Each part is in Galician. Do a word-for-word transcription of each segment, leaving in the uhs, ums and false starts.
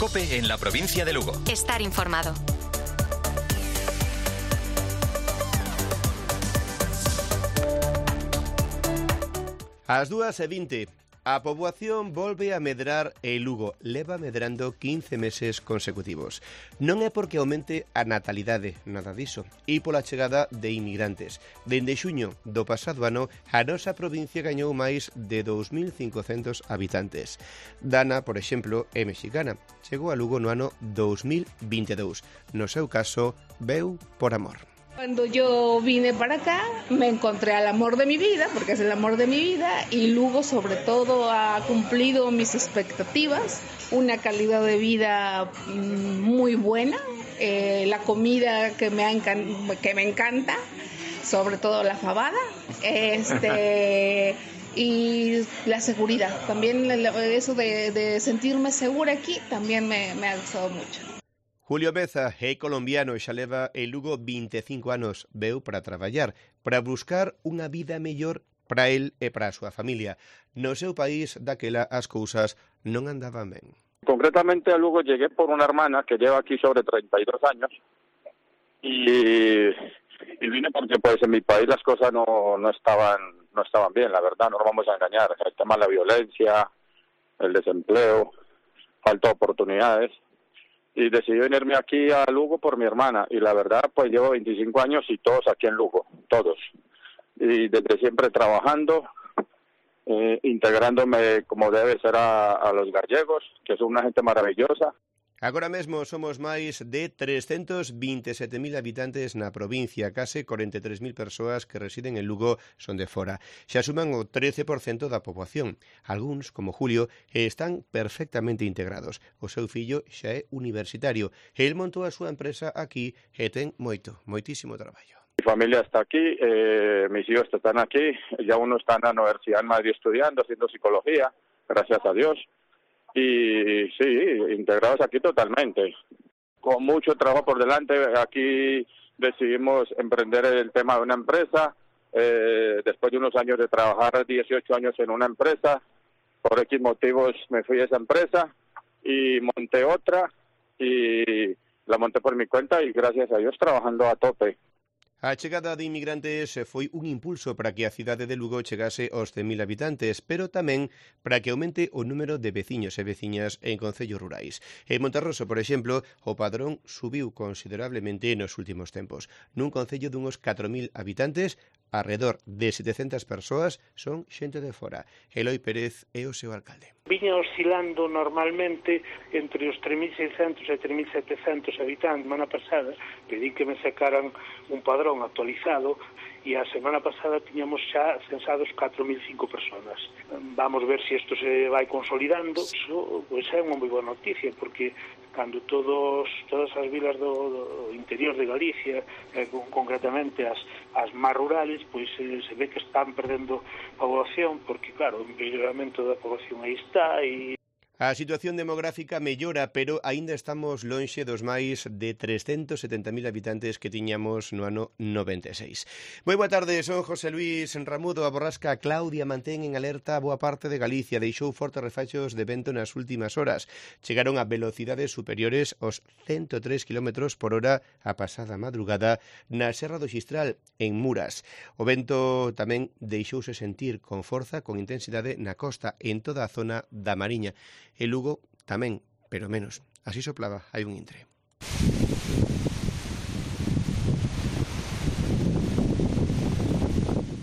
COPE en la provincia de Lugo. Estar informado. Ás dúas e vinte, a poboación volve a medrar e Lugo leva medrando quince meses consecutivos. Non é porque aumente a natalidade, nada diso, e pola chegada de inmigrantes. Dende xuño do pasado ano, a nosa provincia gañou máis de dous mil cincocentos habitantes. Dana, por exemplo, é mexicana. Chegou a Lugo no ano dous mil vinte e dous. No seu caso, veu por amor. Cuando yo vine para acá, me encontré al amor de mi vida, porque es el amor de mi vida, y Lugo sobre todo ha cumplido mis expectativas, una calidad de vida muy buena, eh, la comida que me, ha encan- que me encanta, sobre todo la fabada, este, y la seguridad, también eso de, de sentirme segura aquí también me, me ha gustado mucho. Julio Beza é colombiano e xa leva en Lugo vinte e cinco anos. Veu para traballar, para buscar unha vida mellor para el e para a súa familia. No seu país, daquela, as cousas non andaban ben. Concretamente a Lugo llegué por una hermana que lleva aquí sobre treinta y dos años y, y vine porque pues en mi país las cosas no, no estaban no estaban bien, la verdad, no nos vamos a engañar. El tema de la violencia, el desempleo, falta de oportunidades. Y decidí venirme aquí a Lugo por mi hermana, y la verdad pues llevo veinticinco años y todos aquí en Lugo, todos, y desde siempre trabajando, eh, integrándome como debe ser a, a los gallegos, que son una gente maravillosa. Agora mesmo somos máis de trescentos vinte e sete mil habitantes na provincia, case corenta e tres mil persoas que residen en Lugo son de fora. Xa suman o trece por cento da poboación. Algúns, como Julio, están perfectamente integrados. O seu fillo xa é universitario. El montou a súa empresa aquí e ten moito, moitísimo traballo. Mi familia está aquí, eh, mis hijos están aquí, ya uno está en la Universidad en Madrid estudiando, haciendo psicología, gracias a Dios. Y sí, integrados aquí totalmente, con mucho trabajo por delante. Aquí decidimos emprender el tema de una empresa, eh, después de unos años de trabajar dieciocho años en una empresa, por X motivos me fui a esa empresa y monté otra y la monté por mi cuenta y gracias a Dios trabajando a tope. A chegada de inmigrantes foi un impulso para que a cidade de Lugo chegase aos cen mil habitantes, pero tamén para que aumente o número de veciños e veciñas en concellos rurais. En Monterroso, por exemplo, o padrón subiu considerablemente nos últimos tempos. Nun concello dunhos catro mil habitantes, alrededor de setecentas persoas son xente de fora. Eloi Pérez é o seu alcalde. Viña oscilando normalmente entre os tres mil seiscentos e tres mil setecentos habitantes. Semana pasada pedí que me sacaran un padrón actualizado e a semana pasada tiñamos xa censados catro mil cinco personas. Vamos ver se isto se vai consolidando. Iso pois é unha moi boa noticia, porque cando todos todas as vilas do, do interior de Galicia, eh, concretamente as, as máis rurales, pois eh, se ve que están perdendo poboación, porque claro, o empeoramento da poboación aí está e A situación demográfica mellora, pero aínda estamos lonxe dos máis de trescentos setenta mil habitantes que tiñamos no ano noventa e seis. Moi boa tarde, son José Luis Ramudo. A borrasca Claudia mantén en alerta boa parte de Galicia. Deixou fortes refachos de vento nas últimas horas. Chegaron a velocidades superiores aos ciento tres kilómetros por hora a pasada madrugada na Serra do Xistral, en Muras. O vento tamén deixouse sentir con forza, con intensidade na costa, en toda a zona da Mariña. E Lugo tamén, pero menos. Así soplaba, hai un intre.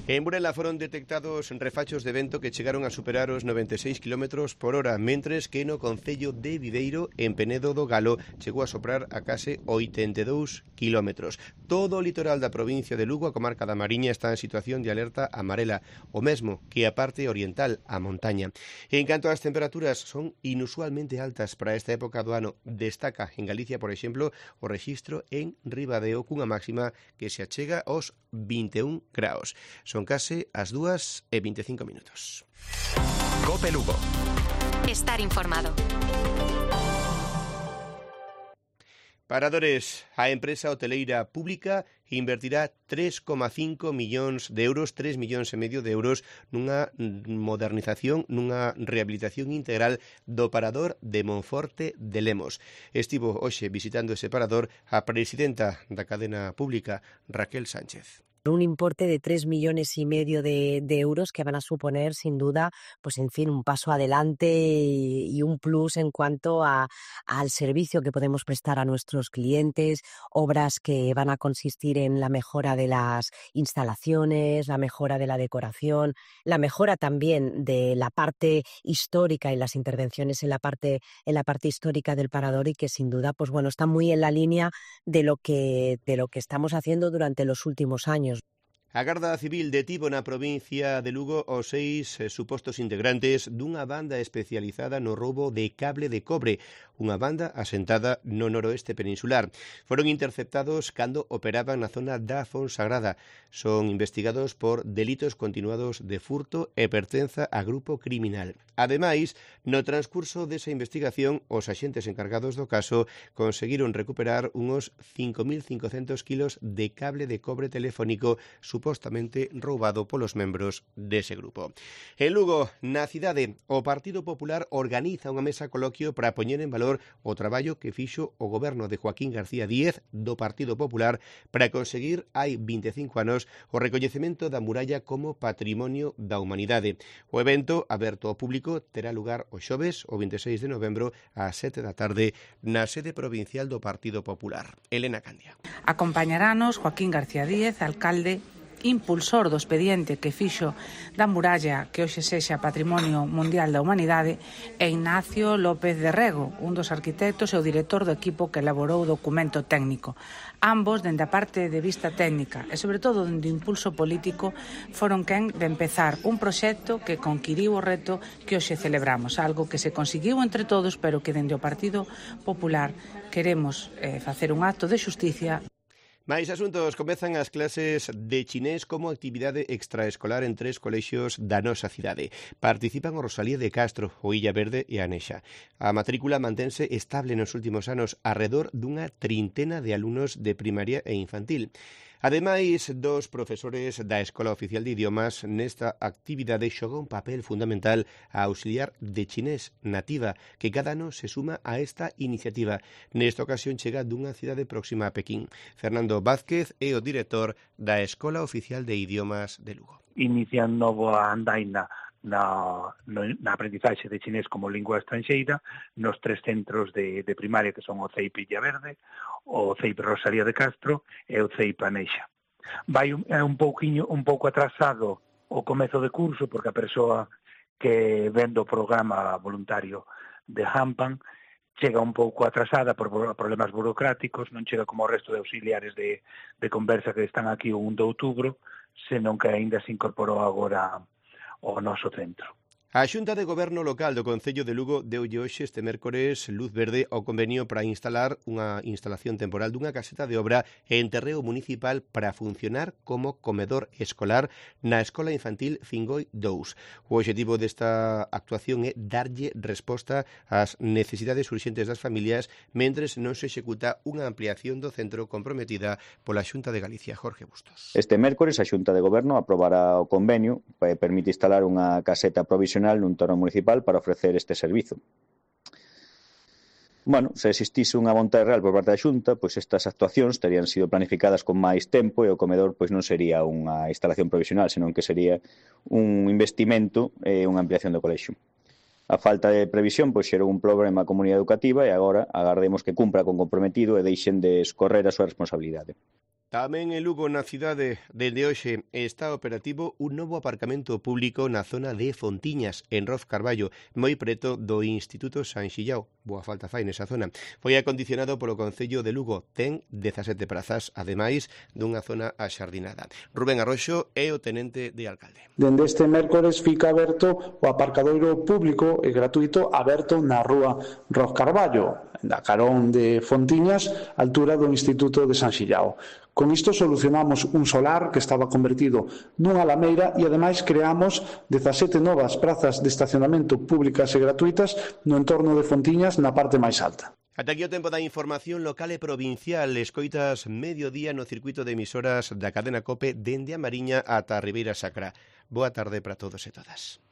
En Burela foron detectados refachos de vento que chegaron a superar os noventa e seis kilómetros por hora, mentres que no concello de Viveiro, en Penedo do Galo, chegou a soprar a case oitenta e dous kilómetros. Todo o litoral da provincia de Lugo, a comarca da Mariña, está en situación de alerta amarela, o mesmo que a parte oriental, a montaña. En canto ás temperaturas, son inusualmente altas para esta época do ano. Destaca en Galicia, por exemplo, o rexistro en Ribadeo, cunha máxima que se achega aos vinte e un graus. Son case as dúas e vinte e cinco minutos. COPE Lugo. Estar informado. Paradores, a empresa hoteleira pública invertirá tres coma cinco millóns de euros, tres millóns e medio de euros nunha modernización, nunha rehabilitación integral do parador de Monforte de Lemos. Estivo hoxe visitando ese parador a presidenta da cadena pública, Raquel Sánchez. Un importe de tres millones y medio de, de euros que van a suponer, sin duda, pues en fin, un paso adelante y, y un plus en cuanto a, al servicio que podemos prestar a nuestros clientes, obras que van a consistir en la mejora de las instalaciones, la mejora de la decoración, la mejora también de la parte histórica y las intervenciones en la parte, en la parte histórica del parador, y que sin duda, pues bueno, está muy en la línea de lo que, de lo que estamos haciendo durante los últimos años. A Garda Civil detivo na provincia de Lugo os seis eh, supostos integrantes dunha banda especializada no roubo de cable de cobre, unha banda asentada no noroeste peninsular. Foron interceptados cando operaban na zona da Fonsagrada. Son investigados por delitos continuados de furto e pertenza a grupo criminal. Ademais, no transcurso desa investigación, os axentes encargados do caso conseguiron recuperar uns cinco mil cincocentos kilos de cable de cobre telefónico supostamente roubado polos membros dese grupo. En Lugo, na cidade, o Partido Popular organiza unha mesa coloquio para poñer en valor o traballo que fixo o goberno de Joaquín García Díez do Partido Popular para conseguir hai vinte e cinco anos o recoñecemento da muralla como Patrimonio da Humanidade. O evento, aberto ao público, terá lugar o xoves, o vinte e seis de novembro, ás sete da tarde, na sede provincial do Partido Popular. Elena Candia. Acompañaranos Joaquín García Díez, alcalde impulsor do expediente que fixo da muralla que hoxe sexa Patrimonio Mundial da Humanidade, e Ignacio López de Rego, un dos arquitectos e o director do equipo que elaborou o documento técnico. Ambos, dende a parte de vista técnica e, sobre todo, dende o impulso político, foron quen de empezar un proxecto que conquiriu o reto que hoxe celebramos, algo que se conseguiu entre todos, pero que dende o Partido Popular queremos eh, facer un acto de xusticia. Mais asuntos, comezan as clases de chinés como actividade extraescolar en tres colexios da nosa cidade. Participan o Rosalía de Castro, o Illa Verde e a Nexa. A matrícula mantense estable nos últimos anos, arredor dunha trintena de alumnos de primaria e infantil. Ademais, dos profesores da Escola Oficial de Idiomas nesta actividade xoga un papel fundamental a auxiliar de chinés nativa, que cada ano se suma a esta iniciativa. Nesta ocasión chega dunha cidade próxima a Pequín. Fernando Vázquez é o director da Escola Oficial de Idiomas de Lugo. Inician novo a andaina na, no, na aprendizaxe de chinés como lingua estranxeira nos tres centros de, de primaria que son o C E I P Illa Verde, o C E I P Rosalía de Castro e o C E I P Anexa. Vai un, un pouquiño un pouco atrasado o comezo de curso porque a persoa que vende o programa voluntario de Hampan chega un pouco atrasada por problemas burocráticos, non chega como o resto de auxiliares de, de conversa que están aquí o un de outubro, senón que aínda se incorporou agora ao noso centro. A Xunta de Goberno Local do Concello de Lugo deulle hoxe este mércores luz verde ao convenio para instalar unha instalación temporal dunha caseta de obra en terreo municipal para funcionar como comedor escolar na Escola Infantil Fingoi dous. O obxectivo desta actuación é darlle resposta ás necesidades urxentes das familias mentres non se executa unha ampliación do centro comprometida pola Xunta de Galicia. Jorge Bustos. Este mércores a Xunta de Goberno aprobará o convenio que permite instalar unha caseta provisional nun torno municipal para ofrecer este servizo. Bueno, se existise unha vontade real por parte da Xunta, pois estas actuacións terían sido planificadas con máis tempo e o comedor pois non sería unha instalación provisional, senón que sería un investimento e unha ampliación do colexio. A falta de previsión pois xerou un problema á comunidade educativa e agora agardemos que cumpra con comprometido e deixen de escorrer a súa responsabilidade. Tamén en Lugo, na cidade, dende hoxe está operativo un novo aparcamento público na zona de Fontiñas, en Roz Carballo, moi preto do Instituto San Xillao. Boa falta fai nesa zona. Foi acondicionado polo Concello de Lugo. Ten dezasete prazas, ademais dunha zona axardinada. Rubén Arroxo é o tenente de alcalde. Dende este mércores fica aberto o aparcadoiro público e gratuito aberto na rúa Roz Carballo, da carón de Fontiñas, altura do Instituto de San Xillao. Con isto solucionamos un solar que estaba convertido nunha lameira e ademais creamos dezasete novas prazas de estacionamento públicas e gratuitas no entorno de Fontiñas na parte máis alta. Ata aquí o tempo da información local e provincial. Escoitas mediodía no circuito de emisoras da cadena COPE dende a Mariña ata a Ribeira Sacra. Boa tarde para todos e todas.